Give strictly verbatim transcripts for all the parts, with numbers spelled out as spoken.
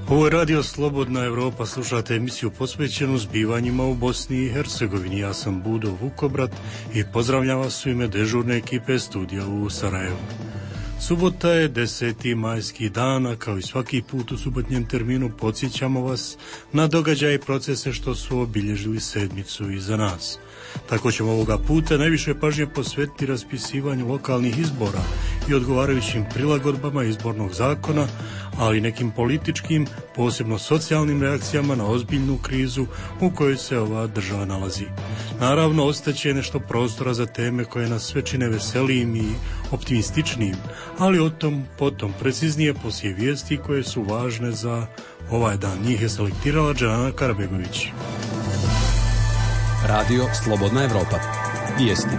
Ovo je Radio Slobodna Evropa, slušate emisiju posvećenu zbivanjima u Bosni i Hercegovini. Ja sam Budo Vukobrat i pozdravljam vas u ime dežurne ekipe studija u Sarajevu. Subota je deseti majski dan, a kao i svaki put u subotnjem terminu podsjećamo vas na događaje i procese što su obilježili sedmicu iza nas. Tako ćemo ovoga puta najviše pažnje posvetiti raspisivanju lokalnih izbora i odgovarajućim prilagodbama izbornog zakona, ali i nekim političkim, posebno socijalnim reakcijama na ozbiljnu krizu u kojoj se ova država nalazi. Naravno, ostaće nešto prostora za teme koje nas sve čine veselijim i optimističnim, ali o tom potom preciznije poslije vijesti koje su važne za ovaj dan. Njih je selektirala Džanana Karabegović. Radio Slobodna Evropa. Vijesti.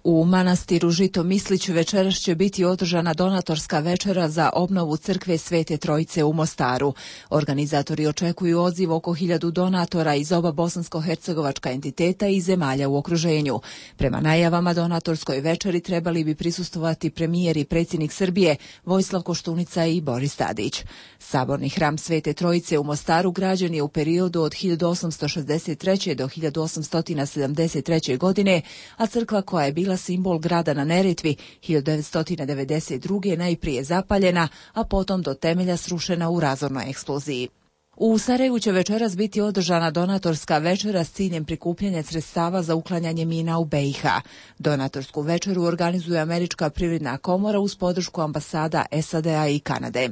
U manastiru Žito-Mislić večeras će biti održana donatorska večera za obnovu crkve Svete Trojice u Mostaru. Organizatori očekuju odziv oko hiljadu donatora iz oba bosansko-hercegovačka entiteta i zemalja u okruženju. Prema najavama donatorskoj večeri trebali bi prisustvovati premijer i predsjednik Srbije Vojislav Koštunica i Boris Tadić. Saborni hram Svete Trojice u Mostaru građen je u periodu od hiljadu osamsto šezdeset treće. do hiljadu osamsto sedamdeset treće. godine, a crkva koja je bila simbol grada na Neretvi hiljadu devetsto devedeset druge. najprije zapaljena, a potom do temelja srušena u razornoj eksploziji. U Sarajevu će večeras biti održana donatorska večera s ciljem prikupljanja sredstava za uklanjanje mina u be i ha. Donatorsku večeru organizuje Američka privredna komora uz podršku ambasada es a de a i Kanade.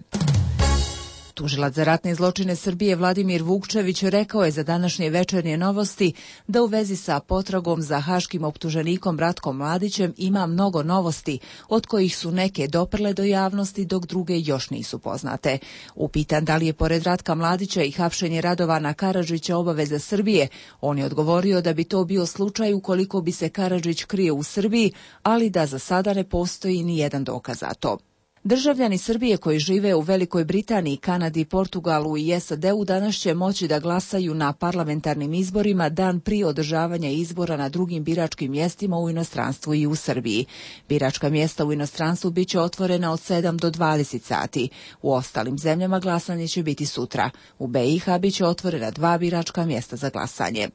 Tužilac za ratne zločine Srbije Vladimir Vukčević rekao je za današnje večernje novosti da u vezi sa potragom za haškim optuženikom Ratkom Mladićem ima mnogo novosti, od kojih su neke doprle do javnosti, dok druge još nisu poznate. Upitan da li je pored Ratka Mladića i hapšenje Radovana Karadžića obaveza Srbije, on je odgovorio da bi to bio slučaj ukoliko bi se Karadžić krio u Srbiji, ali da za sada ne postoji ni jedan dokaz za to. Državljani Srbije koji žive u Velikoj Britaniji, Kanadi, Portugalu i es a de u danas će moći da glasaju na parlamentarnim izborima dan prije održavanja izbora na drugim biračkim mjestima u inostranstvu i u Srbiji. Biračka mjesta u inostranstvu biće otvorena od sedam do dvadeset sati. U ostalim zemljama glasanje će biti sutra. U be i ha biće otvorena dva biračka mjesta za glasanje.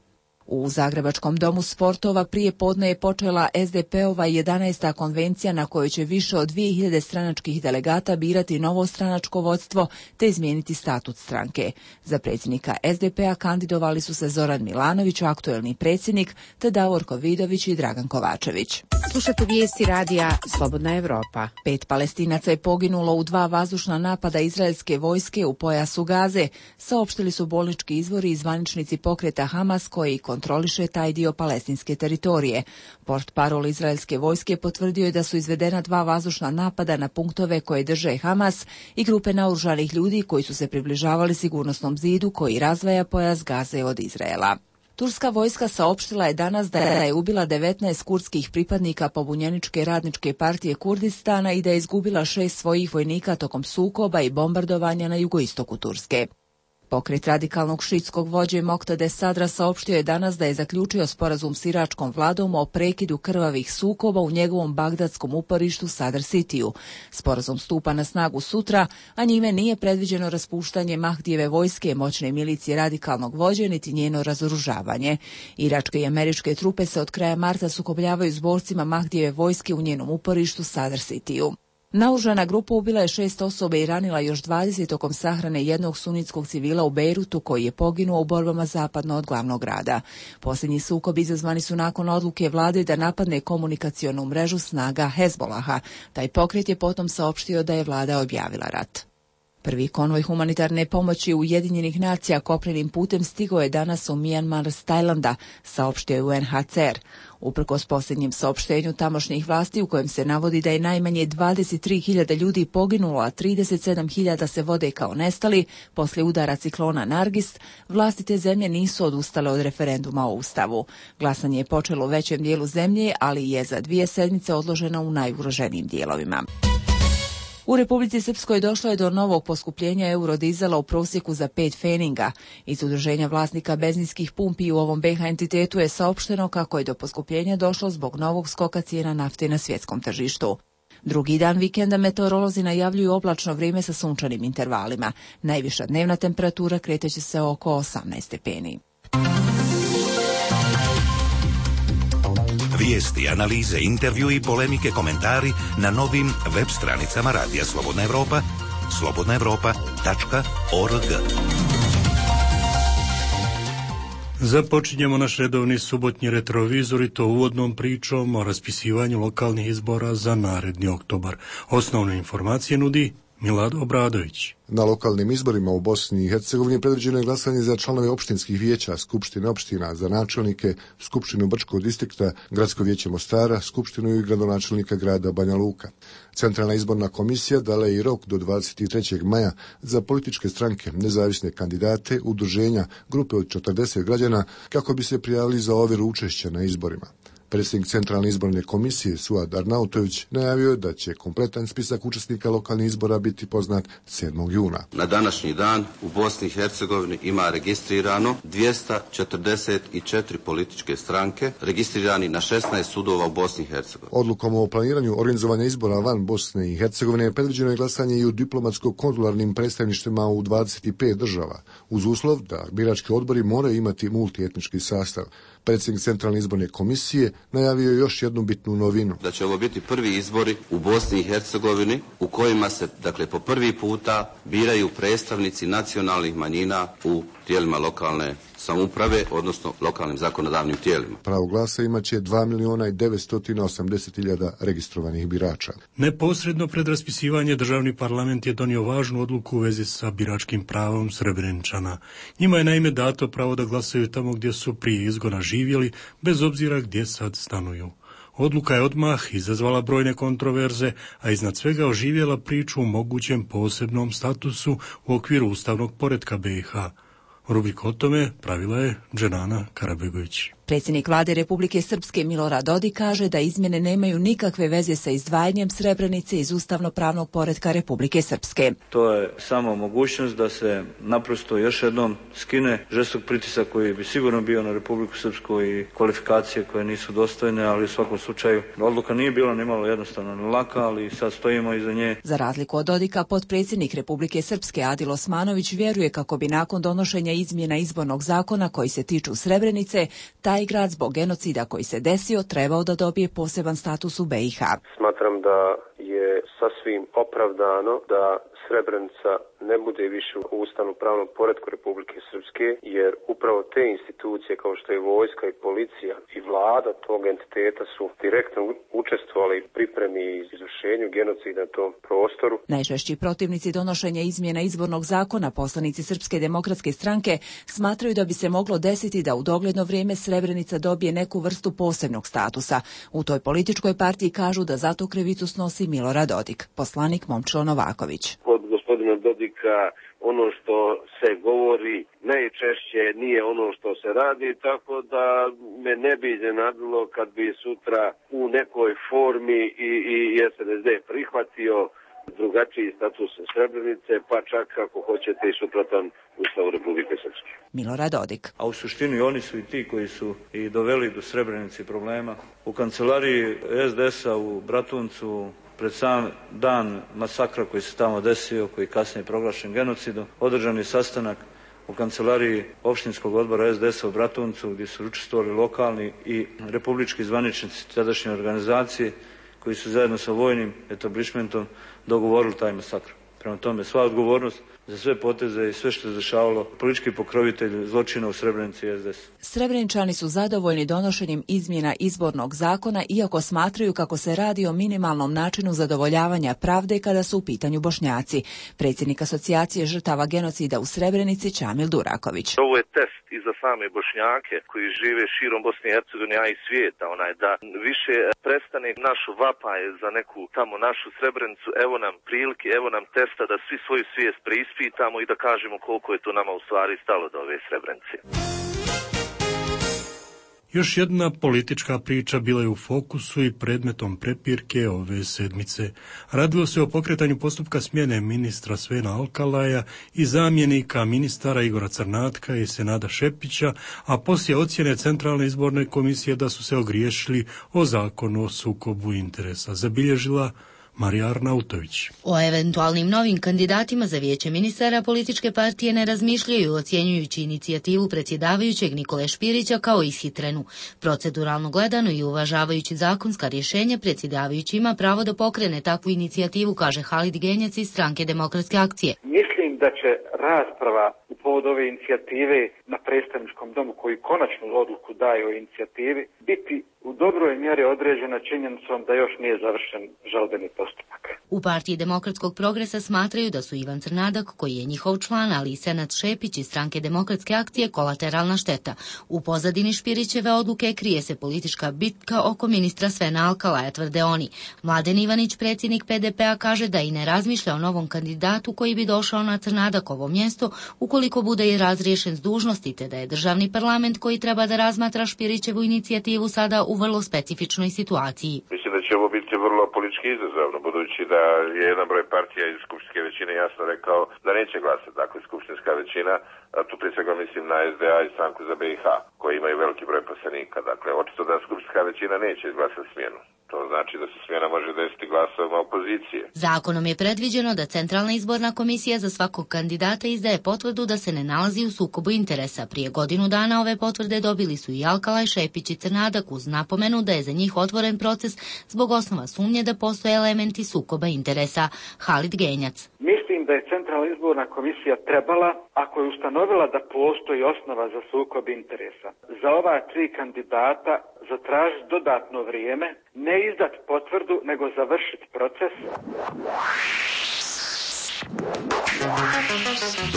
U Zagrebačkom domu sportova prije podne je počela es de pe ova jedanaesta konvencija na kojoj će više od dvije hiljade stranačkih delegata birati novo stranačko vodstvo te izmijeniti statut stranke. Za predsjednika es de pe a kandidovali su se Zoran Milanović, aktuelni predsjednik, te Davorko Vidović i Dragan Kovačević. Slušate vijesti radija Slobodna Evropa. Pet Palestinaca je poginulo u dva vazdušna napada izraelske vojske u pojasu Gaze, saopštili su bolnički izvori i zvaničnici pokreta Hamas koji kontroliše taj dio palestinske teritorije. Portparol izraelske vojske potvrdio je da su izvedena dva vazdušna napada na punktove koje drže Hamas i grupe naoružanih ljudi koji su se približavali sigurnosnom zidu koji razdvaja pojas Gaze od Izraela. Turska vojska saopštila je danas da je ubila devetnaest kurdskih pripadnika pobunjeničke radničke partije Kurdistana i da je izgubila šest svojih vojnika tokom sukoba i bombardovanja na jugoistoku Turske. Pokret radikalnog šiitskog vođe Moktade Sadra saopštio je danas da je zaključio sporazum s iračkom vladom o prekidu krvavih sukoba u njegovom bagdadskom uporištu Sadr Citiju. Sporazum stupa na snagu sutra, a njime nije predviđeno raspuštanje Mahdijeve vojske, moćne milicije radikalnog vođe, niti njeno razoružavanje. Iračke i američke trupe se od kraja marta sukobljavaju s borcima Mahdijeve vojske u njenom uporištu Sadr Citiju. Naoružana grupa ubila je šest osoba i ranila još dvadeset tokom sahrane jednog sunitskog civila u Bejrutu koji je poginuo u borbama zapadno od glavnog grada. Posljednji sukob izazvani su nakon odluke vlade da napadne komunikacionu mrežu snaga Hezbolaha. Taj pokret je potom saopštio da je vlada objavila rat. Prvi konvoj humanitarne pomoći Ujedinjenih nacija kopnenim putem stigao je danas u Mijanmar s Tajlanda, saopštio je u en ha ce er. Uprkos posljednjem saopštenju tamošnjih vlasti u kojem se navodi da je najmanje dvadeset tri hiljade ljudi poginulo, a trideset sedam hiljada se vode kao nestali poslije udara ciklona Nargis, vlasti te zemlje nisu odustale od referenduma o Ustavu. Glasanje je počelo u većem dijelu zemlje, ali je za dvije sedmice odloženo u najugroženijim dijelovima. U Republici Srpskoj došlo je do novog poskupljenja eurodizela u prosjeku za pet feninga. Iz udruženja vlasnika benzinskih pumpi u ovom be ha entitetu je saopšteno kako je do poskupljenja došlo zbog novog skoka cijena nafte na svjetskom tržištu. Drugi dan vikenda meteorolozi najavljuju oblačno vrijeme sa sunčanim intervalima. Najviša dnevna temperatura kreteće se oko osamnaest stepeni. Vijesti, analize, intervju i polemike, komentari na novim web stranicama Radija Slobodna Evropa, slobodna evropa tačka org. Započinjemo naš redovni subotnji retrovizor i to uvodnom pričom o raspisivanju lokalnih izbora za naredni oktobar. Osnovne informacije nudi Milad Obradović. Na lokalnim izborima u Bosni i Hercegovini predviđeno je glasanje za članove opštinskih vijeća, skupštine opština, za načelnike, skupštinu Brčkog distrikta, gradsko vijeće Mostara, skupštinu i gradonačelnika grada Banja Luka. Centralna izborna komisija dala je i rok do dvadeset trećeg maja za političke stranke, nezavisne kandidate, udruženja, grupe od četrdeset građana kako bi se prijavili za ovjeru učešća na izborima. Predsjednik Centralne izborne komisije Suad Arnautović najavio je da će kompletan spisak učesnika lokalnih izbora biti poznat sedmog juna. Na današnji dan u Bosni i Hercegovini ima registrirano dvjesto četrdeset četiri političke stranke, registrirani na šesnaest sudova u Bosni i Hercegovini. Odlukom o planiranju organizovanja izbora van Bosne i Hercegovine predviđeno je glasanje i u diplomatsko-konzularnim predstavništvima u dvadeset pet država, uz uslov da birački odbori moraju imati multietnički sastav. Predsjednik Centralne izborne komisije najavio je još jednu bitnu novinu. Da će ovo biti prvi izbori u Bosni i Hercegovini u kojima se, dakle, po prvi puta biraju predstavnici nacionalnih manjina u tijelima lokalne samouprave, odnosno lokalnim zakonodavnim tijelima. Pravo glasa imaće dva miliona i devetsto osamdeset hiljada registrovanih birača. Neposredno pred raspisivanje državni parlament je donio važnu odluku u vezi sa biračkim pravom Srebreničana. Njima je naime dato pravo da glasaju tamo gdje su prije izgona živjeli, bez obzira gdje sad stanuju. Odluka je odmah izazvala brojne kontroverze, a iznad svega oživjela priču o mogućem posebnom statusu u okviru ustavnog poretka be i ha. Rubriku o tome pravila je Dženana Karabegović. Predsjednik vlade Republike Srpske Milorad Dodik kaže da izmjene nemaju nikakve veze sa izdvajanjem Srebrenice iz ustavno-pravnog poretka Republike Srpske. To je samo mogućnost da se naprosto još jednom skine žestok pritisak koji bi sigurno bio na Republiku Srpsku i kvalifikacije koje nisu dostojne, ali u svakom slučaju odluka nije bila nimalo jednostavna ni laka, ali sad stojimo iza nje. Za razliku od Dodika, potpredsjednik Republike Srpske Adil Osmanović vjeruje kako bi nakon donošenja izmjena izbornog zakona koji se tiču Srebrenice, taj grad zbog genocida koji se desio trebao da dobije poseban status u be i ha. Smatram da je sasvim opravdano da Srebrenica ne bude više u ustavno-pravnom poretku Republike Srpske, jer upravo te institucije kao što je vojska i policija i vlada tog entiteta su direktno učestvovali u pripremi i izvršenju genocida na tom prostoru. Najčešći protivnici donošenja izmjena izbornog zakona, poslanici Srpske demokratske stranke, smatraju da bi se moglo desiti da u dogledno vrijeme Srebrenica dobije neku vrstu posebnog statusa. U toj političkoj partiji kažu da zato krivicu snosi Milorad Dodik. Poslanik Momčilo Novaković. Od gospodina Dodika ono što se govori najčešće nije ono što se radi, tako da me ne bi iznenadilo kad bi sutra u nekoj formi i, i es en es de prihvatio drugačiji status Srebrenice, pa čak ako hoćete i suprotan Ustavu Republike Srpske. Milorad Dodik. A u suštini oni su i ti koji su i doveli do Srebrenice problema. U kancelariji es de es a u Bratuncu pred sam dan masakra koji se tamo desio, koji kasnije proglašen genocidom, održan je sastanak u kancelariji opštinskog odbora es de es a u Bratuncu gdje su učestvovali lokalni i republički zvaničnici tadašnje organizacije koji su zajedno sa vojnim etablišmentom dogovorili taj masakr. Prema tome, sva odgovornost za sve poteze i sve što je dešavalo politički pokrovitelj zločina u Srebrenici es de es. Srebreničani su zadovoljni donošenjem izmjena izbornog zakona, iako smatraju kako se radi o minimalnom načinu zadovoljavanja pravde kada su u pitanju Bošnjaci. Predsjednik asocijacije žrtava genocida u Srebrenici Čamil Duraković. Ovo je test i za same Bošnjake koji žive širom Bosne i Hercegovine, a i svijeta, onaj da više prestane našu vapaj za neku tamo našu Srebrenicu. Evo nam prilike, evo nam testa da svi svoju svijest preispitamo i da kažemo koliko je to nama u stvari stalo do ove Srebrenice. Još jedna politička priča bila je u fokusu i predmetom prepirke ove sedmice. Radilo se o pokretanju postupka smjene ministra Svena Alkalaja i zamjenika ministara Igora Crnatka i Senada Šepića, a poslije ocjene Centralne izborne komisije da su se ogriješili o zakonu o sukobu interesa. Zabilježila Marija Arnautović. O eventualnim novim kandidatima za vijeće ministara političke partije ne razmišljaju, ocjenjujući inicijativu predsjedavajućeg Nikole Špirića kao ishitrenu. Proceduralno gledano i uvažavajući zakonska rješenja, predsjedavajući ima pravo da pokrene takvu inicijativu, kaže Halid Genjac iz Stranke demokratske akcije. Mislim da će rasprava u povodu ove inicijative na predstavničkom domu, koji konačnu odluku daje o inicijativi, biti u dobroj mjeri određena činjenicom da još nije završen žalbeni postupak. U partiji Demokratskog progresa smatraju da su Ivan Crnadak, koji je njihov član, ali i Senad Šepić iz Stranke demokratske akcije kolateralna šteta. U pozadini Špirićeve odluke krije se politička bitka oko ministra Svena Alkalaja, tvrde oni. Mladen Ivanić, predsjednik P D P-a, kaže da i ne razmišlja o novom kandidatu koji bi došao na Crnadakovo mjesto ukoliko bude i razriješen s dužnosti, te da je državni parlament koji treba da razmatra Špirićevu inicijativu sada u vrlo specifičnoj situaciji. Mislim da će ovo biti vrlo politički izazovno, budući da je jedan broj partija iz skupštinske većine jasno rekao da neće glasati. Dakle, skupštinska većina, a tu prije svega mislim na S D A i Stranku za B i H, koji imaju veliki broj poslanika. Dakle, očito da skupštinska većina neće izglasati smjenu. To znači da se smjena može desiti glasovima opozicije. Zakonom je predviđeno da Centralna izborna komisija za svakog kandidata izdaje potvrdu da se ne nalazi u sukobu interesa. Prije godinu dana ove potvrde dobili su i Alkalaj, Šepić i Crnadak, uz napomenu da je za njih otvoren proces zbog osnova sumnje da postoje elementi sukoba interesa. Halid Genjac. Mislim da je Centralna izborna komisija trebala, ako je ustanovila da postoji osnova za sukob interesa, za ova tri kandidata zatražiti dodatno vrijeme, ne izdati potvrdu, nego završiti proces.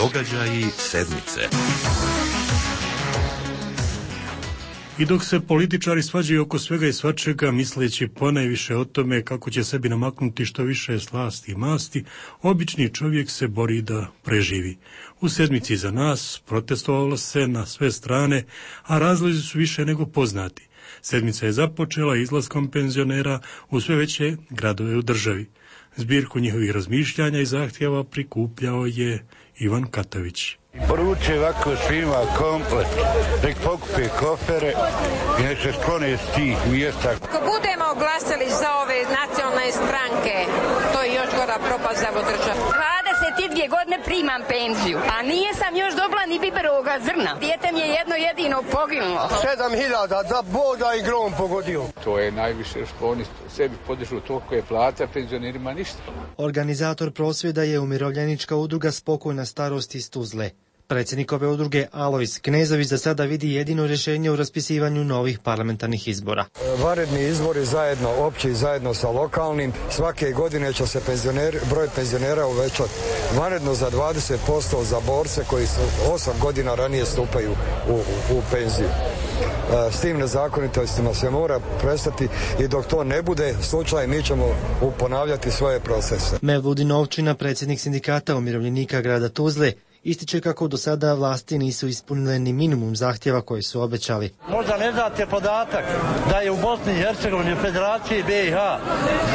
Događaji sedmice. I dok se političari svađaju oko svega i svačega, misleći ponajviše o tome kako će sebi namaknuti što više slasti i masti, obični čovjek se bori da preživi. U sedmici za nas protestovalo se na sve strane, a razlozi su više nego poznati. Sedmica je započela izlaskom penzionera u sve veće gradove u državi. Zbirku njihovih razmišljanja i zahtjeva prikupljao je Ivan Katović. Poruče ovako svima komplet, nek pokupe kofere i nek se sklone s tih mjesta. Ako budemo glasali za ove nacionalne stranke, to je još gora propast za državu. dvadeset dvije godine primam penziju, a nije sam još dobila ni biberovoga zrna. Dijete mi je jedno jedino poginulo. Sedam hiljada da boda i grom pogodio. To je najviše što oni sebi podižu, toliko je plata, penzionerima ništa. Organizator prosvjeda je umirovljenička udruga Spokojna starost iz Tuzle. Predsjednik ove udruge Alojz Knezović za sada vidi jedino rješenje u raspisivanju novih parlamentarnih izbora. Vanredni izbori zajedno, opći zajedno sa lokalnim, svake godine će se penzioneri, broj penzionera uvećati vanredno za dvadeset posto za borce koji su osam godina ranije stupaju u, u, u penziju. S tim nezakonitostima se mora prestati i dok to ne bude slučaj, mi ćemo ponavljati svoje procese. Mevludin Ovčina, predsjednik sindikata umirovljenika grada Tuzle, ističe kako do sada vlasti nisu ispunile ni minimum zahtjeva koje su obećali. Možda ne znate podatak da je u Bosni i Hercegovini, Federaciji B i H,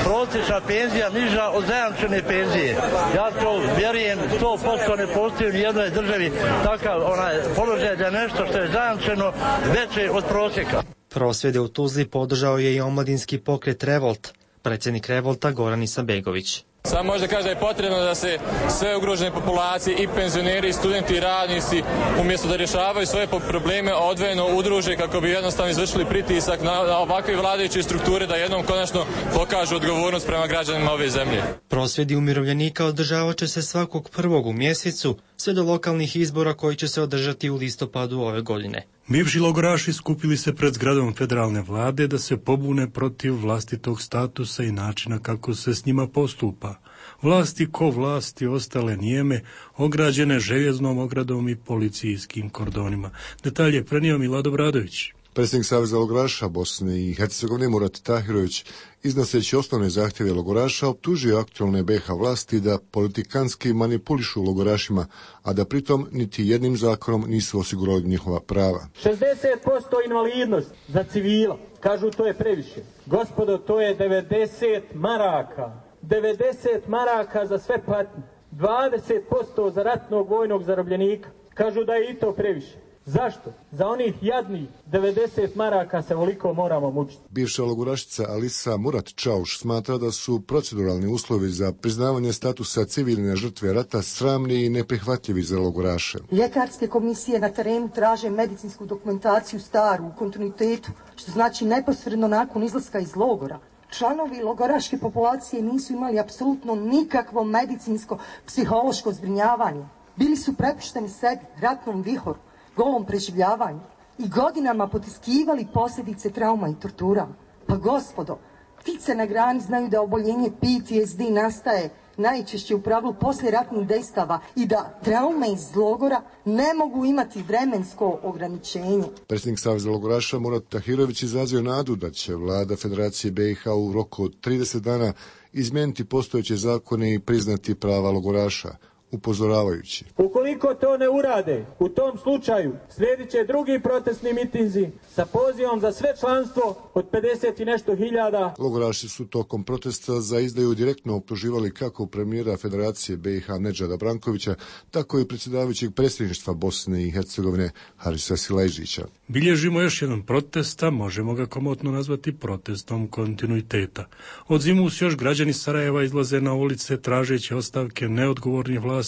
prosječna penzija niža od zajamčene penzije. Ja to vjerujem, sto posto ne postoji u nijednoj državi takav onaj položaj da je nešto što je zajamčeno veće od prosjeka. Prosvjede u Tuzli podržao je i omladinski pokret Revolt, predsjednik Revolta Goran Isanbegović. Samo možda kaže da je potrebno da se sve ugrožene populacije, i penzioneri, i studenti, i radnici, umjesto da rješavaju svoje probleme, odvojeno udruže kako bi jednostavno izvršili pritisak na, na ovakve vladajuće strukture da jednom konačno pokažu odgovornost prema građanima ove zemlje. Prosvjedi umirovljenika održavat će se svakog prvog u mjesecu, sve do lokalnih izbora koji će se održati u listopadu ove godine. Bivši logoraši skupili se pred zgradom federalne vlade da se pobune protiv vlastitog statusa i načina kako se s njima postupa. Vlasti ko vlasti ostale nijeme, ograđene željeznom ogradom i policijskim kordonima. Detalje prenio Milad Obradović. Predsjednik Saveza logoraša Bosne i Hercegovine Murat Tahirović, iznoseći osnovne zahtjeve logoraša, optužio aktualne B i H vlasti da politikanski manipulišu logorašima, a da pritom niti jednim zakonom nisu osigurali njihova prava. šezdeset posto invalidnost za civila, kažu to je previše. Gospodo, to je devedeset maraka. devedeset maraka za sve patnje. dvadeset posto za ratnog vojnog zarobljenika. Kažu da je i to previše. Zašto? Za onih jadnih devedeset maraka se ovoliko moramo mučiti. Bivša logorašica Alisa Murat Čauš smatra da su proceduralni uslovi za priznavanje statusa civilne žrtve rata sramni i neprihvatljivi za logoraše. Ljekarske komisije na terenu traže medicinsku dokumentaciju staru u kontinuitetu, što znači neposredno nakon izlaska iz logora. Članovi logoraške populacije nisu imali apsolutno nikakvo medicinsko, psihološko zbrinjavanje. Bili su prepušteni sebi, ratnom vihoru, golom preživljavanju i godinama potiskivali posljedice trauma i tortura. Pa gospodo, ptice na grani znaju da oboljenje P T S D nastaje najčešće u pravilu poslije ratnih dejstava i da traume iz logora ne mogu imati vremensko ograničenje. Predsjednik Saveza logoraša Murat Tahirović izrazio nadu da će vlada Federacije B i H u roku od trideset dana izmijeniti postojeće zakone i priznati prava logoraša, upozoravajući. Ukoliko to ne urade, u tom slučaju slijedit će drugi protestni mitinzi sa pozivom za sve članstvo od pedeset i nešto hiljada. Logoraši su tokom protesta za izdaju direktno optuživali kako premijera Federacije B i H Nedžada Brankovića, tako i predsjedavajućeg predsjedništva Bosne i Hercegovine Harisa Silajđića. Bilježimo još jedan protesta, možemo ga komotno nazvati protestom kontinuiteta. Od zimus još građani Sarajeva izlaze na ulice tražeći ostavke neodgovornih vlasti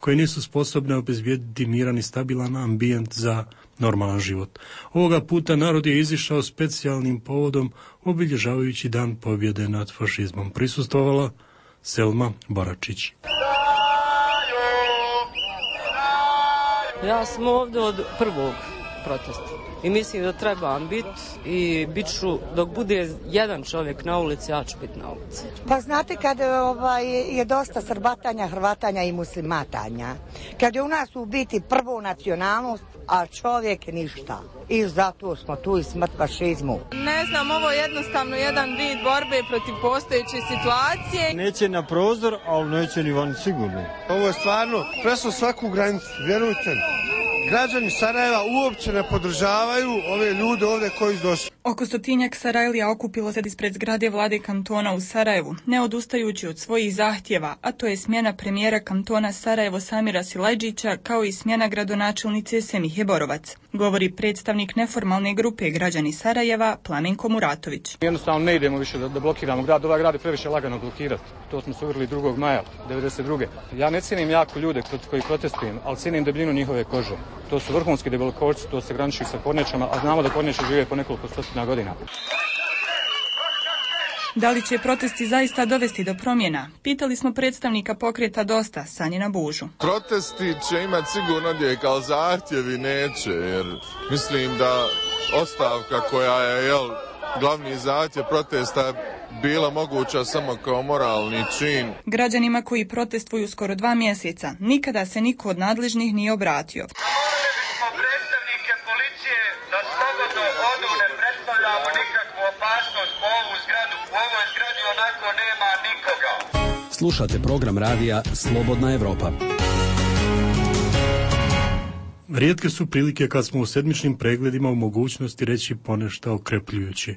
koje nisu sposobne obezbijediti miran i stabilan ambijent za normalan život. Ovoga puta narod je izišao specijalnim povodom obilježavajući dan pobjede nad fašizmom. Prisustvovala Selma Baračić. Ja sam ovdje od prvog protesta i mislim da trebam biti i bit ću, dok bude jedan čovjek na ulici, ja ću biti na ulici. Pa znate kad ovaj, je dosta srbatanja, hrvatanja i muslimatanja, kad je u nas u biti prvo nacionalnost, a čovjek ništa. I zato smo tu i smrt fašizmu. Ne znam, ovo je jednostavno jedan vid borbe protiv postojeće situacije. Neće na prozor, ali neće ni van sigurno. Ovo je stvarno preslo svaku granicu, vjerujte mi. Građani Sarajeva uopće ne podržavaju ove ljude ovdje koji su došli. Oko stotinjak Sarajlija okupilo se ispred zgrade vlade kantona u Sarajevu, ne odustajući od svojih zahtjeva, a to je smjena premijera kantona Sarajevo Samira Silajđića kao i smjena gradonačelnice Semihe Borovac, govori predstavnik neformalne grupe građani Sarajeva Plamenko Muratović. Jednostavno ne idemo više da, da blokiramo grad, ovaj grad je previše lagano blokirati. To smo se uvjerili drugog maja devedeset druge. Ja ne cijenim jako ljude koji protestujem, ali cijenim debljinu njihove kože. To su vrhunski debelkošci, to se graniči sa kornjačama, a znamo da kornjače žive po nekoliko stotina godina. Da li će protesti zaista dovesti do promjena? Pitali smo predstavnika pokreta Dosta, Sanjina Bužu. Protesti će imati sigurno odjek, ali zahtjevi neće, jer mislim da ostavka koja je, jel, glavni zahtjev protesta bila moguća samo kao moralni čin. Građanima koji protestuju skoro dva mjeseca nikada se niko od nadležnih nije obratio. Molili smo predstavnike policije da slobodno odu, ne predstavljamo nikakvu opasnost po ovu zgradu. U ovoj zgradi onako nema nikoga. Slušate program radija Slobodna Evropa. Rijetke su prilike kad smo u sedmičnim pregledima u mogućnosti reći ponešto okrepljujuće.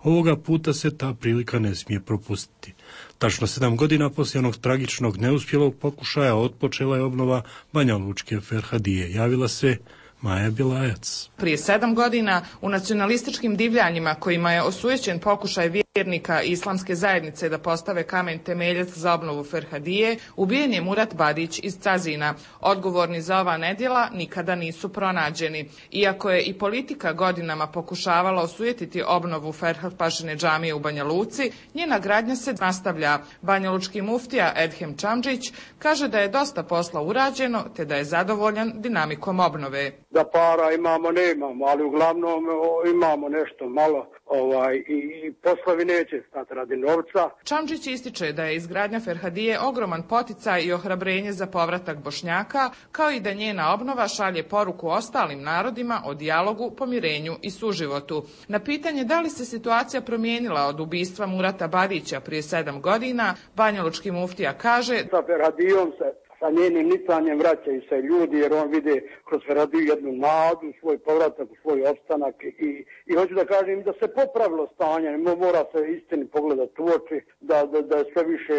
Ovoga puta se ta prilika ne smije propustiti. Tačno sedam godina poslije onog tragičnog neuspjelog pokušaja otpočela je obnova Banja Lučke Ferhadije. Javila se Maja Bjelajac. Prije sedam godina u nacionalističkim divljanjima kojima je osujećen pokušaj vjernika islamske zajednice da postave kamen temeljac za obnovu Ferhadije, ubijen je Murat Badić iz Cazina. Odgovorni za ova nedjela nikada nisu pronađeni. Iako je i politika godinama pokušavala osujetiti obnovu Ferhadpašine džamije u Banja Luci, njena gradnja se nastavlja. Banjalučki muftija Edhem Čamdžić kaže da je dosta posla urađeno te da je zadovoljan dinamikom obnove. Da para imamo, ne imamo, ali uglavnom o, imamo nešto malo ovaj, i, i poslovi neće stati radi novca. Čamdžić ističe da je izgradnja Ferhadije ogroman poticaj i ohrabrenje za povratak Bošnjaka, kao i da njena obnova šalje poruku ostalim narodima o dijalogu, pomirenju i suživotu. Na pitanje da li se situacija promijenila od ubistva Murata Badića prije sedam godina, banjalučki muftija kaže: sa Ferhadijom se sa njenim nicanjem vraćaju se ljudi, jer on vide kroz Ferhadiju jednu nadu, svoj povratak, svoj opstanak i, i hoću da kažem da se popravilo stanje, mora se istini pogledati u oči, da, da, da je sve više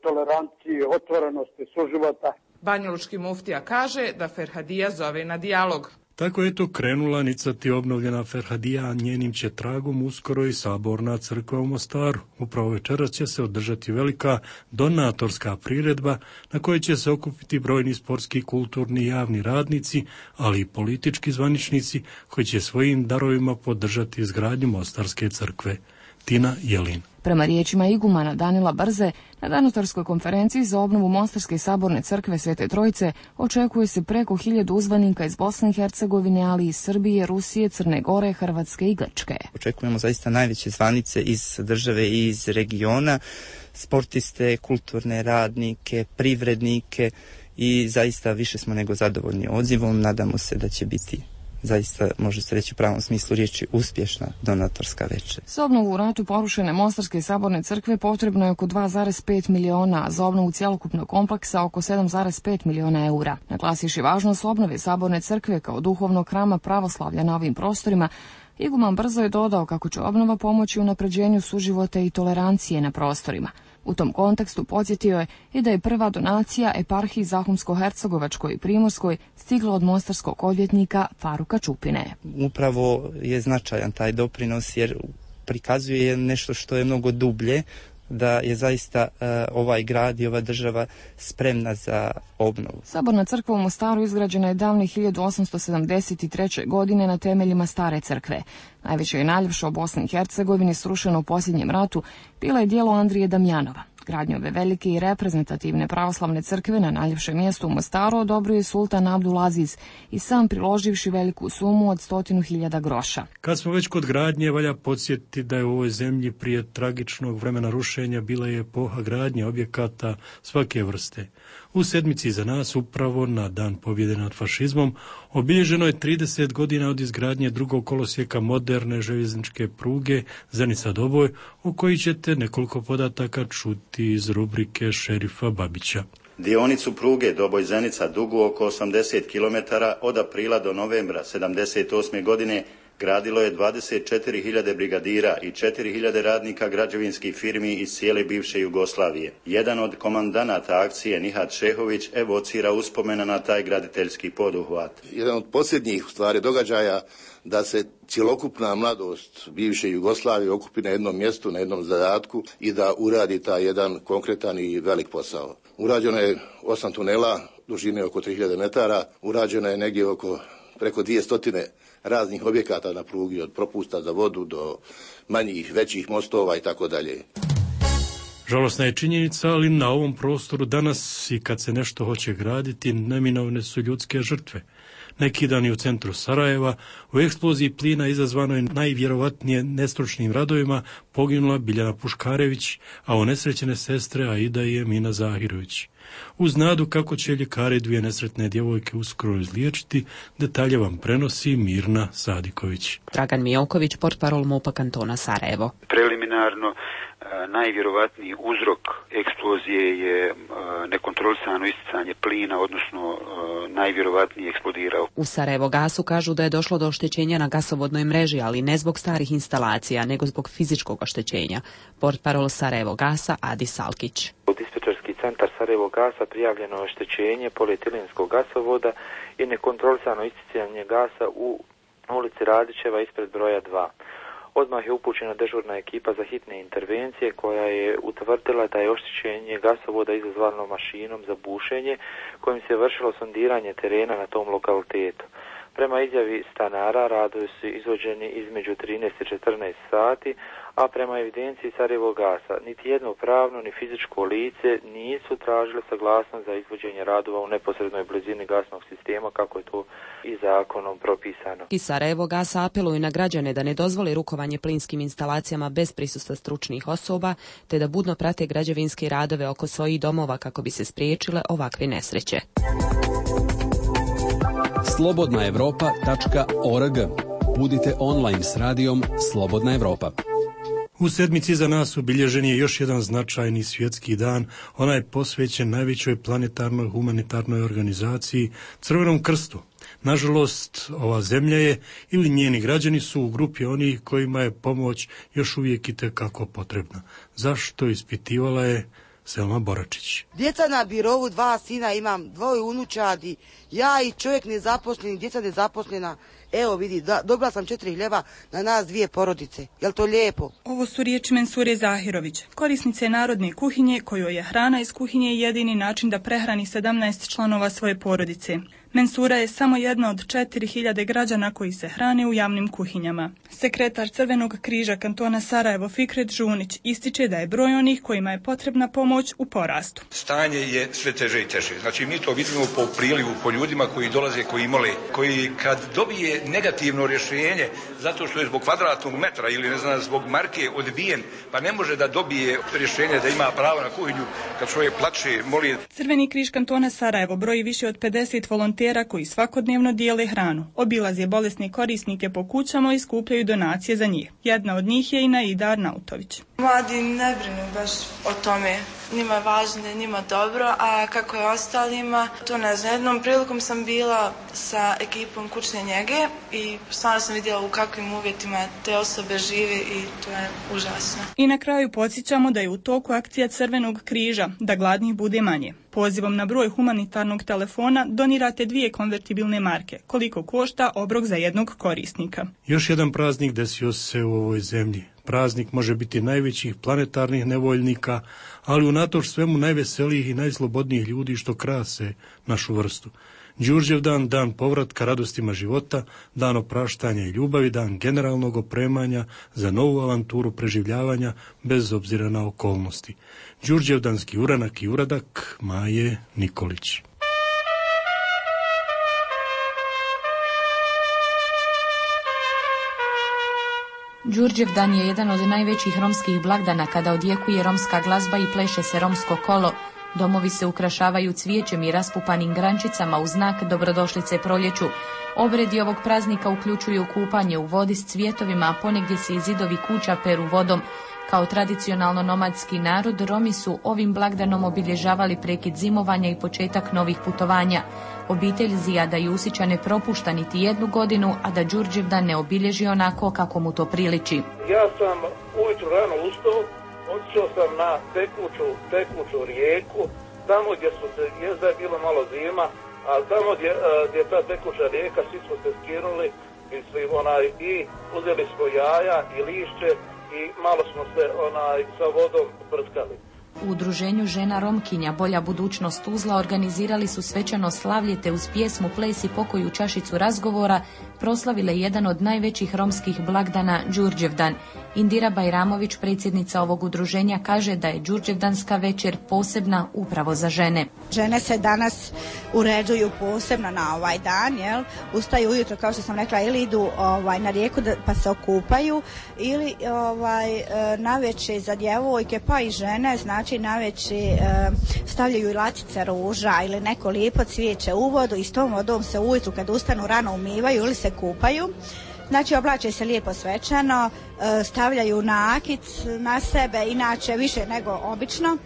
tolerancije, otvorenosti, suživota. Banjalučki muftija kaže da Ferhadija zove na dijalog. Tako je to krenula nicati obnovljena Ferhadija, a njenim će tragom uskoro i Saborna crkva u Mostaru. Upravo večeras će se održati velika donatorska priredba na kojoj će se okupiti brojni sportski, kulturni i javni radnici, ali i politički zvaničnici koji će svojim darovima podržati izgradnju Mostarske crkve. Tina Jelin. Prema riječima igumana Danila Brze, na donatorskoj konferenciji za obnovu Mostarske saborne crkve Svete Trojice očekuje se preko hiljadu uzvanika iz Bosne i Hercegovine, ali i Srbije, Rusije, Crne Gore, Hrvatske i Grčke. Očekujemo zaista najveće zvanice iz države i iz regiona, sportiste, kulturne radnike, privrednike i zaista više smo nego zadovoljni odzivom. Nadamo se da će biti zaista, može se reći u pravom smislu riječi, uspješna donatorska večer. Za obnovu u ratu porušene Mostarske saborne crkve potrebno je oko dva zarez pet miliona, a za obnovu cjelokupnog kompleksa oko sedam zarez pet miliona eura. Naglasivši važnost obnove saborne crkve kao duhovnog hrama pravoslavlja na ovim prostorima, iguman Brzo je dodao kako će obnova pomoći unapređenju suživota i tolerancije na prostorima. U tom kontekstu podsjetio je i da je prva donacija eparhiji Zahumsko-Hercegovačkoj i Primorskoj stigla od mostarskog odvjetnika Faruka Čupine. Upravo je značajan taj doprinos jer prikazuje nešto što je mnogo dublje, da je zaista uh, ovaj grad i ova država spremna za obnovu. Saborna crkva u Mostaru izgrađena je davne hiljadu osamsto sedamdeset treće. godine na temeljima stare crkve. Najveće i najljepše u Bosni i Hercegovini, srušeno u posljednjem ratu, bila je djelo Andrije Damjanova. Gradnju ove velike i reprezentativne pravoslavne crkve na najljepšem mjestu u Mostaru odobrio je sultan Abdul Aziz i sam priloživši veliku sumu od stotinu hiljada groša. Kad smo već kod gradnje, valja podsjetiti da je u ovoj zemlji prije tragičnog vremena rušenja bila je epoha gradnje objekata svake vrste. U sedmici za nas, upravo na dan pobjede nad fašizmom, obilježeno je trideset godina od izgradnje drugog kolosijeka moderne željezničke pruge Zenica-Doboj, o koji ćete nekoliko podataka čuti iz rubrike šerifa Babića. Dionicu pruge Doboj-Zenica dugu oko osamdeset kilometara od aprila do novembra sedamdeset osme. godine gradilo je dvadeset četiri hiljade brigadira i četiri hiljade radnika građevinskih firmi iz cijele bivše Jugoslavije. Jedan od komandanata akcije, Nihat Šehović, evocira uspomena na taj graditeljski poduhvat. Jedan od posljednjih stvari događaja da se cjelokupna mladost bivše Jugoslavije okupi na jednom mjestu, na jednom zadatku i da uradi taj jedan konkretan i velik posao. Urađeno je osam tunela, dužine oko tri hiljade metara, urađeno je negdje oko preko dvjesto raznih objekata na prugi, od propusta za vodu do manjih, većih mostova i tako dalje. Žalosna je činjenica, ali na ovom prostoru danas i kad se nešto hoće graditi, neminovne su ljudske žrtve. Neki dan je u centru Sarajeva u eksploziji plina izazvanoj najvjerovatnije nestručnim radovima poginula Biljana Puškarević, a onesrećene sestre Aida i Emina Zahirović. Uz nadu kako će ljekari dvije nesretne djevojke uskoro izliječiti, detalje vam prenosi Mirna Sadiković. Dragan Mijoković, portparol MUP-a kantona Sarajevo. Preliminarno, najvjerovatniji uzrok eksplozije je nekontrolisano isticanje plina, odnosno najvjerovatnije eksplodirao. U Sarajevo gasu kažu da je došlo do oštećenja na gasovodnoj mreži, ali ne zbog starih instalacija, nego zbog fizičkog oštećenja. Portparol Sarajevo gasa Adi Salkić. U dispečerski centar Sarajevo gasa prijavljeno je oštećenje polietilenskog gasovoda i nekontrolisano isticanje gasa u ulici Radićeva ispred broja dva. Odmah je upućena dežurna ekipa za hitne intervencije koja je utvrdila da je oštećenje gasovoda izazvano mašinom za bušenje kojim se vršilo sondiranje terena na tom lokalitetu. Prema izjavi stanara radovi su izvođeni između trinaest i četrnaest sati, a prema evidenciji Sarajevo gasa niti jedno pravno ni fizičko lice nisu tražile saglasnost za izvođenje radova u neposrednoj blizini gasnog sistema kako je to i zakonom propisano. I Sarajevo gasa apeluju na građane da ne dozvole rukovanje plinskim instalacijama bez prisustva stručnih osoba, te da budno prate građevinske radove oko svojih domova kako bi se spriječile ovakve nesreće. slobodna evropa tačka org. Budite online s radijom Slobodna Evropa. U sedmici za nas obilježen je još jedan značajni svjetski dan. Ona je posvećen najvećoj planetarnoj humanitarnoj organizaciji Crvenom krstu. Nažalost, ova zemlja je ili njeni građani su u grupi onih kojima je pomoć još uvijek itekako potrebna. Zašto, ispitivala je Selma Boračić. Djeca na birovu, dva sina imam, dvoje unučadi, ja i čovjek nezaposleni, djeca nezaposlena. Evo vidi, da, dobila sam četiri hljeba na nas dvije porodice. Jel to lijepo? Ovo su riječi Mensure Zahirović, korisnice narodne kuhinje, kojoj je hrana iz kuhinje jedini način da prehrani sedamnaest članova svoje porodice. Mensura je samo jedna od četiri hiljade građana koji se hrane u javnim kuhinjama. Sekretar Crvenog križa kantona Sarajevo Fikret Žunić ističe da je broj onih kojima je potrebna pomoć u porastu. Stanje je sve teže i teže. Znači mi to vidimo po prilivu, po ljudima koji dolaze, koji mole, koji kad dobije negativno rješenje zato što je zbog kvadratnog metra ili ne znam zbog marke odbijen, pa ne može da dobije rješenje da ima pravo na kuhinju, kad čovjek plače, moli. Crveni križ kantona Sarajevo broji više od pedeset volontera koji svakodnevno dijele hranu. Obilaze bolesne korisnike po kućama i skupljaju donacije za njih. Jedna od njih je i Naida Arnautović. Mladi ne brinu baš o tome. Njima je važno, njima dobro, a kako je ostalima, to ne znam. Jednom prilikom sam bila sa ekipom kućne njege i stvarno sam vidjela u kakvim uvjetima te osobe žive i to je užasno. I na kraju podsjećamo da je u toku akcija Crvenog križa, da gladnih bude manje. Pozivom na broj humanitarnog telefona donirate dvije konvertibilne marke, koliko košta obrok za jednog korisnika. Još jedan praznik desio se u ovoj zemlji. Praznik može biti najvećih planetarnih nevoljnika, ali unatoč svemu najveselijih i najslobodnijih ljudi što krase našu vrstu. Đurđev dan, dan povratka radostima života, dan opraštanja i ljubavi, dan generalnog opremanja za novu avanturu preživljavanja bez obzira na okolnosti. Đurđevdanski uranak i uradak Maje Nikolić. Đurđevdan je jedan od najvećih romskih blagdana kada odjekuje romska glazba i pleše se romsko kolo. Domovi se ukrašavaju cvijećem i raspupanim grančicama u znak dobrodošlice proljeću. Obredi ovog praznika uključuju kupanje u vodi s cvjetovima, a ponegdje se i zidovi kuća peru vodom. Kao tradicionalno nomadski narod, Romi su ovim blagdanom obilježavali prekid zimovanja i početak novih putovanja. Obitelj Zijada Jusića ne propušta niti jednu godinu, a da Đurđevdan ne obilježi onako kako mu to priliči. Ja sam ujutro rano ustao, otišao sam na tekuću, tekuću rijeku, tamo gdje su se, jezda je bilo malo zima, ali tamo gdje, gdje je ta tekuća rijeka, svi smo se skinuli mislim, onaj, i uzeli smo jaja i lišće i malo smo se onaj, sa vodom prskali. U udruženju žena Romkinja Bolja budućnost Tuzla organizirali su svečano slavlje te uz pjesmu, ples i pokoju čašicu razgovora proslavile jedan od najvećih romskih blagdana Đurđevdan. Indira Bajramović, predsjednica ovog udruženja, kaže da je Đurđevdanska večer posebna upravo za žene. Žene se danas uređuju posebno na ovaj dan, jel? Ustaju ujutro, kao što sam rekla, ili idu ovaj, na rijeku da, pa se okupaju, ili ovaj, navečer za djevojke, pa i žene, znači navečer stavljaju latice ruža ili neko lijepo cvijeće u vodu i s tom vodom se ujutru kad ustanu rano umivaju ili se kupaju. Znači oblače se lijepo svečano, stavljaju nakit na sebe, inače više nego obično.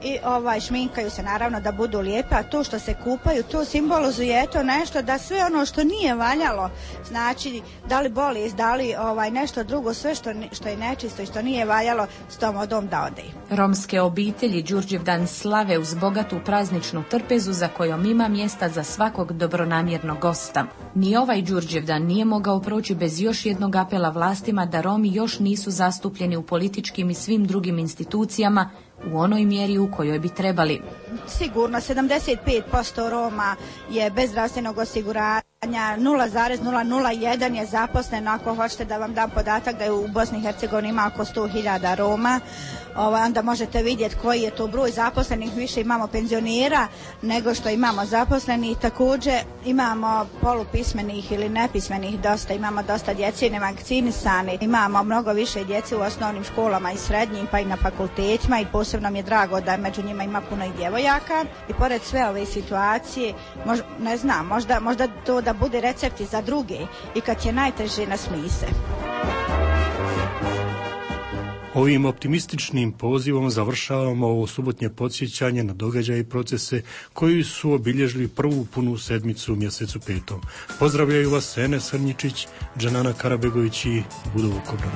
I ovaj, šminkaju se naravno da budu lijepe, a to što se kupaju, to simbolizuje to nešto da sve ono što nije valjalo, znači da li bolest, da li ovaj, nešto drugo, sve što, što je nečisto i što nije valjalo, s tom vodom da ode. Romske obitelji Đurđevdan slave uz bogatu prazničnu trpezu za kojom ima mjesta za svakog dobronamjernog gosta. Ni ovaj Đurđevdan nije mogao proći bez još jednog apela vlastima da Romi još nisu zastupljeni u političkim i svim drugim institucijama u onoj mjeri u kojoj bi trebali. Sigurno, sedamdeset pet posto Roma je bez zdravstvenog osiguranja, nula zarez nula nula jedan je zaposleno, ako hoćete da vam dam podatak da je u Bosni i Hercegovini ima oko sto hiljada Roma, ovaj, onda možete vidjeti koji je to broj zaposlenih, više imamo penzionera nego što imamo zaposlenih, također imamo polupismenih ili nepismenih dosta, imamo dosta djece nevakcinisani, imamo mnogo više djece u osnovnim školama i srednjim pa i na fakultetima i posebno mi je drago da među njima ima puno i djevojaka i pored sve ove situacije, mož, ne znam, možda, možda to da bude recepti za druge i kad je najteže nasmije se. Ovim optimističnim pozivom završavamo ovo subotnje podsjećanje na događaje i procese koji su obilježili prvu punu sedmicu u mjesecu petom. Pozdravljaju vas Enes Srnjičić, Džanana Karabegović i Budo Vukobrad.